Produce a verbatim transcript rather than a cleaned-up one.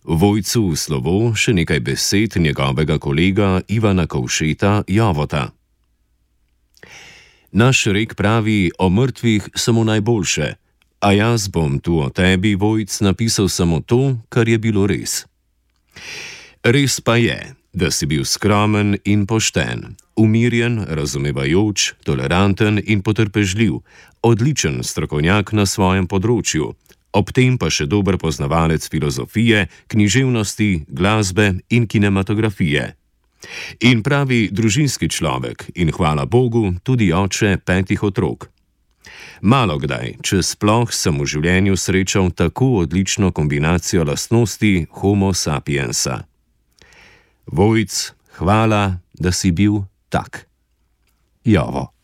Vojcu v slovo še nekaj besed njegovega kolega Ivana Kovšeta Jovota. Naš rek pravi, o mrtvih samo najboljše, a jaz bom tu o tebi, Vojc, napisal samo to, kar je bilo res. Res pa je, da si bil skromen in pošten, umirjen, razumevajoč, toleranten in potrpežljiv, odličen strokovnjak na svojem področju, ob tem pa še dober poznavalec filozofije, književnosti, glasbe in kinematografije. In pravi družinski človek in hvala Bogu tudi oče petih otrok. Malo kdaj, če sploh sem v življenju srečal tako odlično kombinacijo lastnosti homo sapiensa. Vojc, hvala, da si bil tak. Jovo.